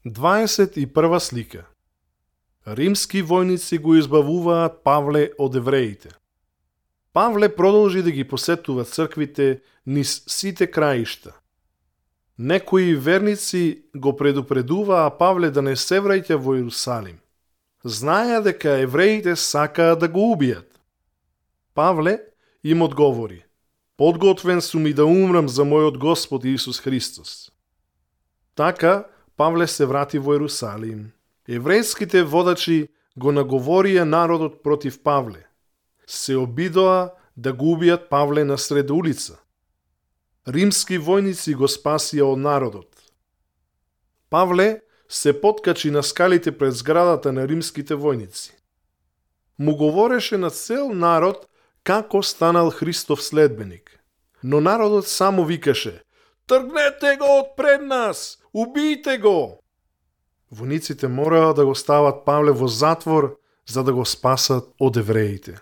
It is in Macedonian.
21 слика. Римски војници го избавуваат Павле од евреите. Павле продолжи да ги посетува црквите низ сите краишта. Некои верници го предупредуваа Павле да не се враќа во Иерусалим. Знаеа дека евреите сакаат да го убијат. Павле им одговори: подготвен сум и да умрам за мојот Господ Исус Христос. Така Павле се врати во Иерусалим. Еврејските водачи го наговорија народот против Павле. Се обидоа да го убијат Павле на сред улица. Римски војници го спасија од народот. Павле се поткачи на скалите пред зградата на римските војници. Му говореше на цел народ како станал Христов следбеник. Но народот само викаше: тргнете го од пред нас! Убијте го! Војниците мораа да го стават Павле во затвор за да го спасат од евреите.